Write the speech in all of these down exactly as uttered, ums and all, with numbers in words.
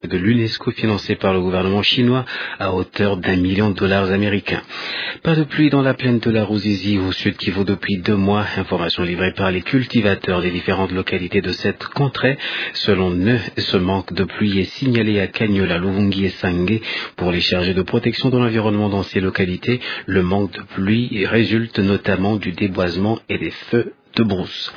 de l'UNESCO financée par le gouvernement chinois à hauteur d'un million de dollars américains. Pas de pluie dans la plaine de la Ruzizi au sud Kivu depuis deux mois. Information livrée par les cultivateurs des différentes localités de cette contrée. Selon eux, ce manque de pluie est signalé à Kaniola, Luvungi et Sange. Pour les chargés de protection de l'environnement dans ces localités, le manque de pluie résulte notamment du déboisement et des feux de brousse.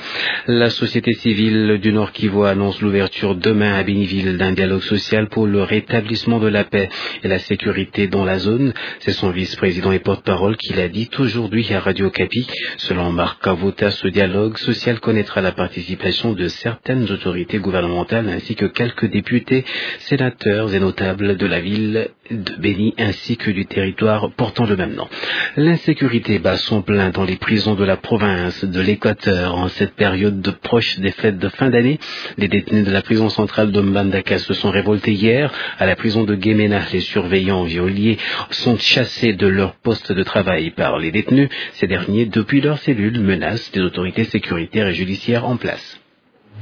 La société civile du Nord-Kivu annonce l'ouverture demain à Béniville d'un dialogue social pour le rétablissement de la paix et la sécurité dans la zone. C'est son vice-président et porte-parole qui l'a dit aujourd'hui à Radio Okapi. Selon Marc Kavuta, ce dialogue social connaîtra la participation de certaines autorités gouvernementales ainsi que quelques députés, sénateurs et notables de la ville de Beni ainsi que du territoire portant le même nom. L'insécurité bat son plein dans les prisons de la province de l'Équateur en cette période de proche des fêtes de fin d'année. Les détenus de la prison centrale de Mbandaka se sont révoltés hier. À la prison de Gemena, les surveillants geôliers sont chassés de leur poste de travail par les détenus. Ces derniers, depuis leur cellule, menacent les autorités sécuritaires et judiciaires en place.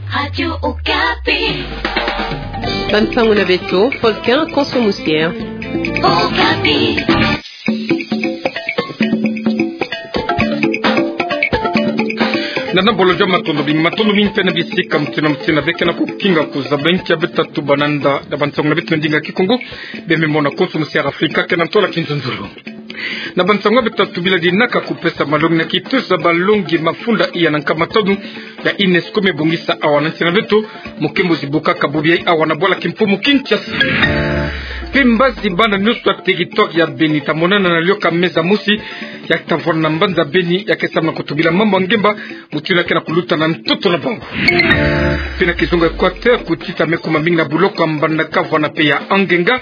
Radio Okapi. Bansango na beto, Volcan Konso Musière. Okapi. Na nabolo dia matondo mingi, matondo mingi mpe na bisika mutindu na mutindu beke na kukinga kuzaba nkia beta tubana nda, na bansango na beto na ndinga Kikongo, beme mona Konso Musière Afrika, kena ntola kinzonzolo. Na bansango beta tubila dinaka kupesa malongi na kitusa balongi mafunda iya na nkama tanu ya UNESCO me bongisa awa na nsi na beto, mukembo zibukaka bubi yayi awa na bwala kimfumu Kinshasa. Mpe mbazi bana nionso ya territoire ya Beni ta monana na lyoka meza mosi, ya ta vwanda na mbanza Beni, ya ke sambana kutubila mambu ya ngemba, mutindu ya ke na kuluta na ntoto na bango. Mpe na kizunga Équateur, kutita me kuma mingi na buloko ya Mbandaka, Vwana mpe ya Angenga.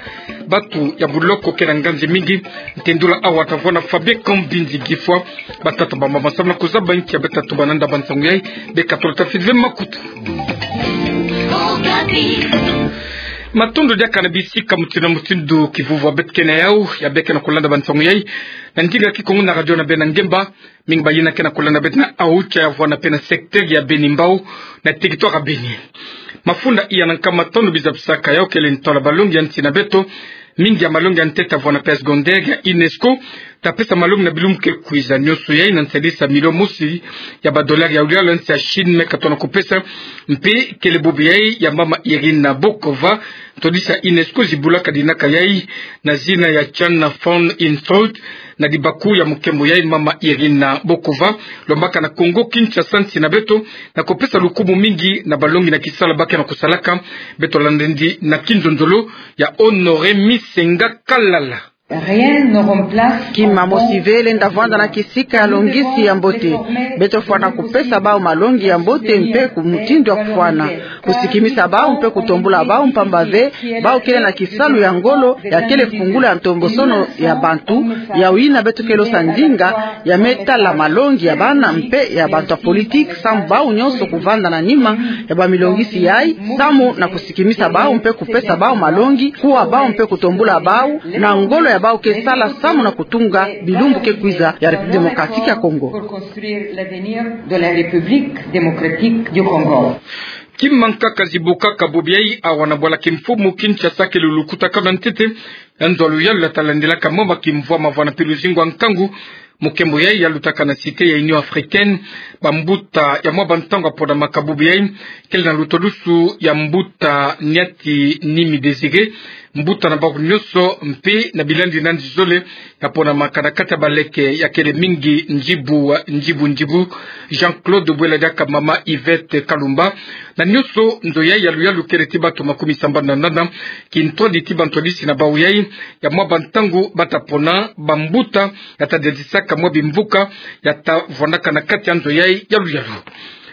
Batu ya buloko ke na nganzi mingi. Ntendula awa ta vwanda Fabien Kambinzi Gifwa. Batata bamama, sambana kuzaba nkia beta tubana nda, bansango yayi beka tolo, tafidile makutu. Matondo diaka na bisika mutindu na mutindu kivuvwa beta ke na yawu, ya beka na kulanda bansango yayi na ndinga Kikongo na radio na beno ya ngemba. Mingi bayina ke na kulanda beto na Aocha ya Vwana mpe na secteur ya Beni Mbau, na territoire ya Beni. Mafunda iya na nkama tanu bizabisaka yawu kele ntola balongi ya nsi na beto. Mingi ya malongi ya ntete ya Vwana mpe ya secondaire ya UNESCO ta pesa malongi na bilumbu ke kwiza. Nionso yayi na nsalisi ya milio mosi ya badolari ya luyalu ya nsi ya Chine me ka tona kupesa. Mpe kele bubi yayi ya mama Irina Bokova, ntwadisi ya UNESCO zibulaka dinaka yayi na zina ya China Fund Institute, na dibaku ya mukembo yayi mama Irina Bokova, lombaka na Kongo Kinshasa, nsi na beto, na kupesa lukumu mingi na balongi na kisalu ba ke na kusalaka. Beto landa ndi na kinzonzolo ya Honoré Misenga Kalala. Rien ne remplace. Kima mosi ve lenda vwanda na kisika ya longisi ya mbote. Beto fwana kupesa bawu malongi ya mbote mpe ku mutindu ya kufwana. Kusikimisa bawu mpe kutombula bawu, mpamba ve bawu kele na kisalu ya ngolo, ya kele fungula ya ntombosono ya bantu, yawu yina beto kele sa ndinga ya me tala malongi ya bana mpe ya bantu ya politique, samu bawu nionso kuvanda na nima ya bamilongisi yayi, samu na kusikimisa bawu mpe kupesa bawu malongi, kuwa bawu mpe kutombula bawu, na ngolo ya bawu ke sala samu na kutunga bilumbu ke kwiza ya République Démocratique ya Congo. Pour construire l'avenir de la République Démocratique du Congo. Kima nkaka zibukaka bubi yayi awa na bwala kimfumu Kinshasa kele lukutakanu ya ntete ya nzo ya luyalu ya ta landilaka mama kimvwama, vwana mpe luzingu ya nkangu. Mukembo yayi ya lutaka na Cité ya Union Africaine, bambuta ya mwa bantangu ya ponamaka bubi yayi, kele na lutolusu ya mbuta Niati Nimi Désiré, mbuta na bawu nionso, mpe na bilandi na nzizole ya ponamaka na kati ya baleke ya kele mingi njibu njibu njibu. Jean-Claude Bwela diaka mama Yvette Kalumba. Na nionso nzo yayi ya luyalu kele ti bato makumi sambanu na nana, kintwadi ti bantwadisi na bawu yayi ya mwa bantangu ba ta pona bambuta ya ta diadisaka mwa bimvuka ya ta vwandaka na kati ya nzo yayi ya luyalu.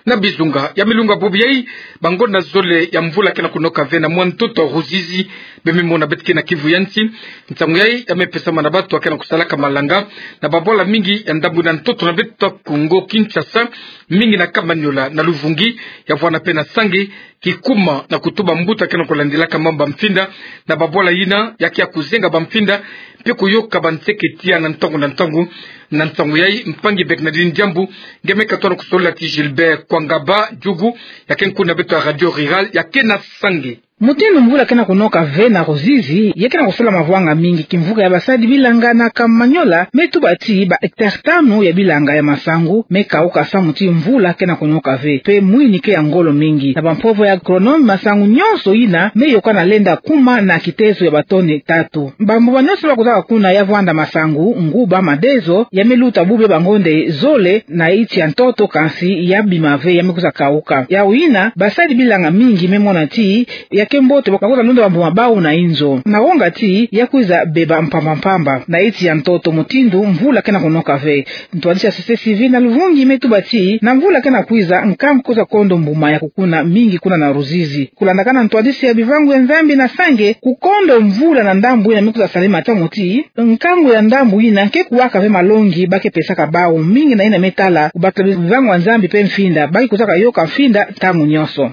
Na bizunga ya milunga bubi yayi, bangonda zole ya mvula ke na kunoka ve na mwa ntoto ya Ruzizi, beme mona beto ke na Kivu ya nsi. Nsangu yayi ya me pesama na bato ya ke na kusalaka malanga na babwala mingi ya ndambu na ntoto na beto Kongo Kinshasa, mingi na Kamanyola, na Luvungi, ya vwana mpe na Sange, kikuma na kutuba mbuta ke na kulandilaka mambu ya mfinda na babwala yina ya ke ya kuzenga bamfinda, mpe kuyoka banseke tiya na ntangu na ntangu. Na nsangu yayi, mpangi Bernardine Diambu, nge me katono kusolola ti Gilbert Kwangaba Djugu, ya ke nkuna beto ya Radio Rurale, ya ke na Sange. Mutindu mvula ke na kunoka ve na Ruzizi, ya ke na kusala mavwanga mingi, kimvuka ya basadi bilanga na Kamanyola me tuba ti ba hectare tanu ya bilanga ya masangu me kauka samu ti mvula ke na kunoka ve, pe mwini ke ya ngolo mingi. Na bampovo ya agronome, masangu nyonso yina me yokana lenda kuma na kitezo ya batone tatu. Bambuba nyonso ba kuzaka kuna ya vwanda masangu, nguba, madezo, ya me luta bubia bangonde zole na iti ya ntoto, kansi ya bima ve, ya me kwiza kauka. Yau yina, basadi bilanga mingi me mona ti ya ke mbote ba kwiza nunda bambuba bau na inzo, na wonga ti ya kwiza beba mpamba mpamba na iti ya ntoto, mutindu mvula ke na kunoka ve. Ntwadisi ya société civile na Luvungi me tuba ti na mvula ke na kwiza, nkangu kwiza kondo mbuma ya kukuna mingi kuna na Ruzizi. Kulandakana ntwadisi ya Bivangu ya Nzambi na Sange, kukondo mvula na ndambu yina me kwiza salema tamu ti nkangu ya ndambu yina ke kuwaka ve malongi ba ke pesaka bau, mingi na yina me tala ku bakila Bivangu ya Nzambi pe mfinda ba ke kwizaka yoka mfinda ntangu nyonso.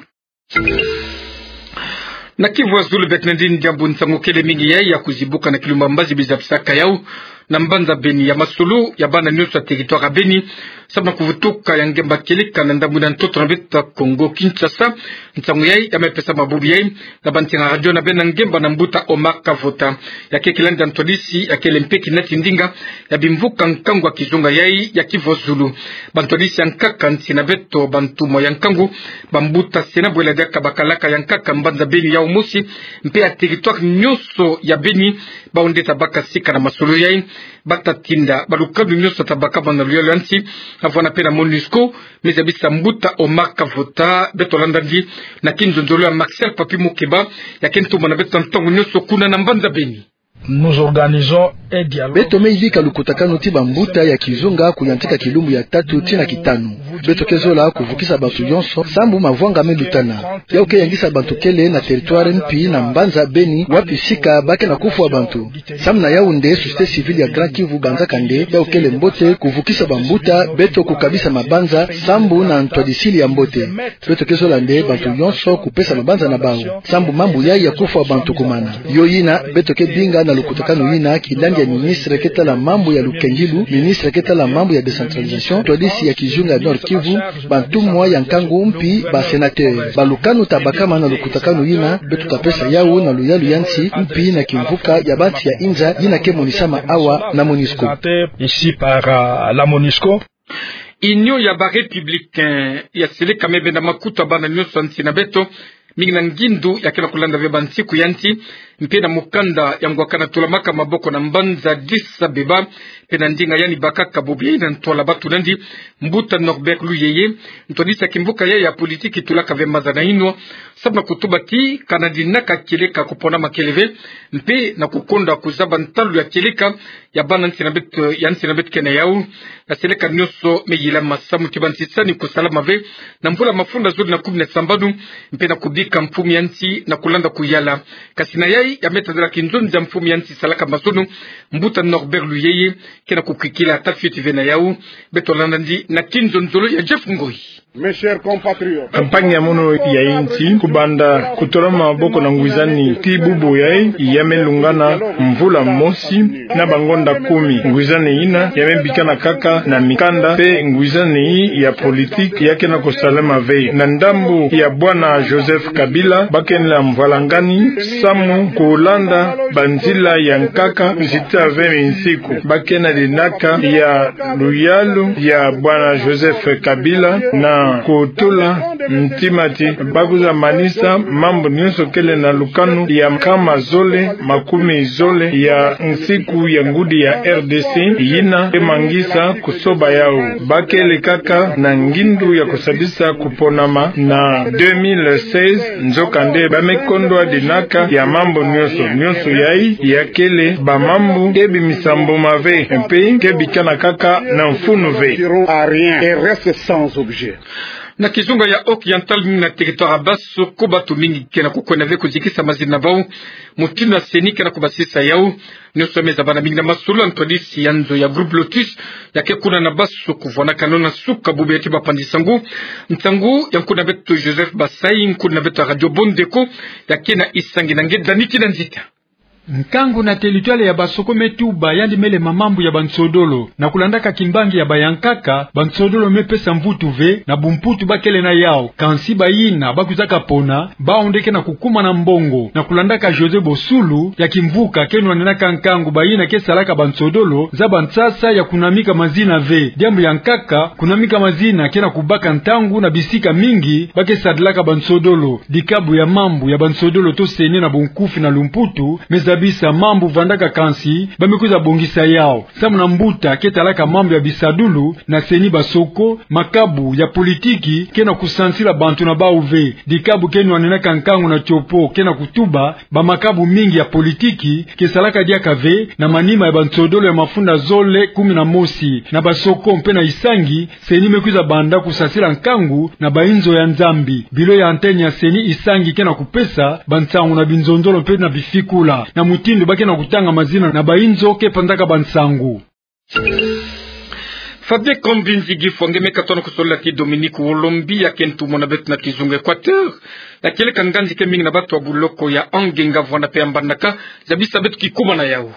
Na Kivu ya Zulu, beto na ndinga diambu nsangu kele mingi yai ya kuzibuka na kilumba mbazi biza bisaka yau na mbanza Beni, ya masolo ya bana nyonso ya territoire ya Beni, samu na kuvutuka ya ngemba kieleka na ndambu na ntoto na beto ya Kongo Kinshasa. Nsangu yai ya me pesama bubu yai na bansinga radio na bena ngemba na mbuta Omar Kavota. Ya ke kilandi ya ntwadisi, ya kele mpe kinati ndinga ya bimvuka nkangu ya kizunga yai ya Kivu ya Zulu. Bantwadisi ya nkaka nsi na beto, bantumwa ya nkangu, bambuta se na bwela diaka bakalaka ya nkaka mbanza Beni yau mosi, mpe ya territoire nyonso ya Beni, bau nde ta baka sika na masolo yai. Ba ta tinda balukanu nyonso ta bakama na luyalu ya nsi, avwanda mpe na MONUSCO, me zabisa mbuta Omar Kavota. Beto landa ndi na kinzonzolo ya Marcel Papi Mukeba, ya ke ntumwa na beto ntangu nyonso kuna na mbanza Beni. Nous organisons un dialogue. Beto me yidika lukutakanu ti bambuta ya kizunga kuyantika kilumbu ya tatu tii na kitanu. Beto ke zola kuvukisa bantu yonso, sambu mavwanga me lutana. Yau ke yangisa bantu kele na territoire mpi na mbanza Beni, wapi sika ba ke na kufwa bantu. Samu na yau nde société civile ya Grand Kivu banzaka nde yau kele mbote kuvukisa bambuta beto kukabisa mabanza, sambu na ntwadisili ya mbote. Beto ke zola nde bantu yonso kupesa mabanza na bau, sambu mambu yai ya kufwa bantu kumana. Yo yina beto ke binga na lukutakanu yina kilandi ya ministre ke tala mambu ya lukengilu, ministre ke tala mambu ya décentralisation, ntwadisi ya kizunga ya Nord Kivu, bantumwa ya nkangu mpi ba sénateur. Balukanu ta bakama na lukutakanu yina, beto ta pesa yau na luyalu ya nsi, mpi na kimvuka ya bansi ya inza yina ke monisama awa na MONUSCO. Ici par, euh, la MONUSCO. Union ya ba Républicains ya seleka me benda makutu ya bana nyonso ya nsi na beto, mingi na ngindu ya ke na kulanda ve bansiku ya nsi, mpe na mukanda ya ngwakana tulamaka maboko na mbanza Addis Abeba, mpe na ndinga yandi bakaka bubu yai na ntwala batu na ndi, mbuta Norbert Luyeye, ntwadisi ya kimvuka yai ya politiki, tulaka ve maza na inwa, samu na kutuba ti kana dinaka kieleka kupona makele ve, mpe na kukonda kuzaba ntalu ya kieleka ya bana nsi na beto, ya nsi na beto ke na yau, na seleka nyonso me yilama samu ti bansisani kusalama ve na mvula mafunda zole na kumi na sambanu, mpe na kubika mfumu ya nsi na kulanda kuyala. Kasi na yai ya me tadila kinzonzi ya mfumu ya nsi salaka mazono, mbuta Norbert Luyeye, ke na kukwikila ata fioti ve na yau. Beto landa ndi na kinzonzolo ya Jeff Ngoi. Mes chers compatriotes. Campagne ya mono ya insi, kubanda kutolama maboko na ngwizani tii bubu yai, ya me lungana mvula mosi na bangonda kumi. Ngwizani yina ya me bikana kaka na mikanda mpe ngwizani ya politiki ya ke na kusalama ve. Na ndambu ya bwana Joseph Kabila, ba ke na mvwalangani samu kulanda banzila ya nkaka nzita ve minsiku. Ba ke na dinaka ya luyalu ya bwana Joseph Kabila na kutula ntima ti ba kwiza manisa mambu nyonso kele na lukanu ya nkama zole makumi zole ya nsiku ya ngudi ya R D C, yina ke mangisa kusoba yau. Ba kele kaka na ngindu ya kusadisa kuponama na deux mille seize, nzokande ba me kondwa dinaka ya mambu nyonso. Nyonso yai ya kele bamambu ke bimisa mbuma ve, mpe ke bikana kaka na mfunu ve. Seront à rien et restent sans objet. Na kizunga ya Oriental, na territoire ya Basse, ko batu mingi ke na kukwena ve kuzikisa mazina na bau, mutindu ya CENI ke na kubasisa yau. Nyonso me zabana mingi na masolo ya ntwadisi ya nzo ya Groupe Lotus, ya ke kuna na Basse, kuvwanakano na suka bubu ya ti bapanzi nsangu. Nsangu ya nkuna beto Joseph Basai, nkuna beto ya Radio Bondeko, ya ke na isangi na nge Dani Kinanzita. Nkangu na territoire ya Basoko me tuba, yandi me lema mambu ya bansodolo. Na kulandaka kimbangi ya bayankaka, bansodolo me pesa mvutu ve na bumputu bakele na yau. Kansi bayina bakwizaka pona, bau nde ke na kukuma na mbongo. Na kulandaka José Bosulu, ya kimvuka ke nwanenaka nkangu, bayina ke salaka bansodolo za bansasa ya kunamika mazina ve. Diambu ya nkaka, kunamika mazina ke na kubaka ntangu na bisika mingi ba ke sadilaka bansodolo. Dikabu ya mambu ya bansodolo to CENI na bunkufi na lumputu me zabisa mambu vandaka, kansi ba me kwiza bongisa yau. Samu na mbuta ke talaka mambu ya bisadulu na CENI Basoko, makabu ya politiki ke na kusansila bantu na bau ve. Dikabu ke nwanenaka nkangu na tiopo ke na kutuba, bamakabu mingi ya politiki ke salaka diaka ve na manima ya bansodolo ya mafunda zole kumi na mosi. Na Basoko mpe na Isangi, CENI me kwiza banda kusasila nkangu na bainzo ya Nzambi. Bilo ya antenne ya CENI Isangi ke na kupesa bansangu na binzonzolo mpe na bifikula na mutindu ba ke na kutanga mazina na bainzo ke panzaka bansangu. Fabien Kambinzi Gifwa nge me katono kusolila ti Dominique Olombi, ya ke ntumwa na beto na kizunga Équateur, ya kieleka nganzi ke mingi na bato ya buloko ya Angenga, Vuanda mpe ya Mbandaka, zabisa beto kikuma na yau.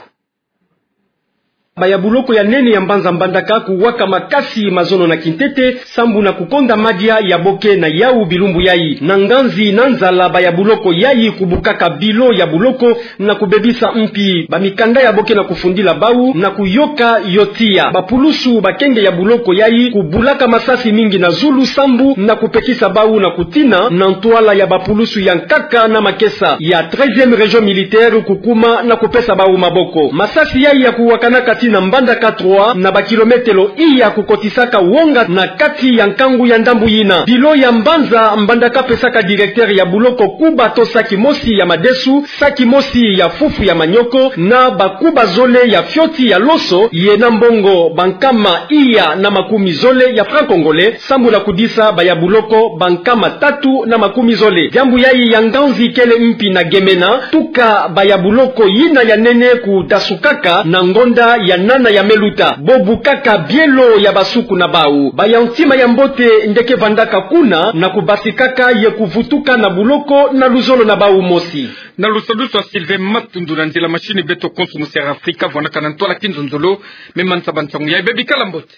Baya buloko ya nene ya mbanza Mbandaka kuwaka makasi mazono na kintete, sambu na kukonda madia ya bo ke na yau bilumbu yai. Na nganzi na nzala, baya buloko yai kubukaka bilo ya buloko na kubebisa mpi bamikanda ya bo ke na kufundila bau na kuyoka yo tiya. Bapulusu bakenge ya buloko yai kubulaka masasi mingi na zulu sambu na kupekisa bau na kutina na ntwala ya bapulusu ya nkaka na makesa ya treizième région militaire kukuma na kupesa bau maboko. Masasi yai ya kuwakanaka tii na Mbandaka trois, na bakilometelo iya kukotisaka wonga na kati ya nkangu ya ndambu yina. Bilo ya mbanza Mbandaka pesaka directeur ya buloko kuba to saki mosi ya madesu, saki mosi ya fufu ya manioko, na bakuba zole ya fioti ya loso, ye na mbongo bankama iya na makumi zole ya franc congolais, sambu na kudisa baya buloko bankama tatu na makumi zole. Diambu yai ya nganzi kele mpi na gemena, tuka baya buloko yina ya nene kudasukaka na ngonda ya nana ya me luta. Bo bukaka bielo ya basuku na bau. Baya ntima ya mbote nde ke vandaka kuna na kubasikaka ye kuvutuka na buloko na luzolo na bau mosi. Na lusadusu ya Sylvain Matundu, na nzila machine beto konso musi ya Afrika, vuanaka na ntwala kinzonzolo me manisa bansangu yai. Bebi, kala mbote.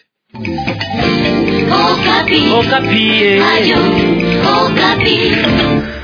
Okapi. Okapi, eh. Radio Okapi.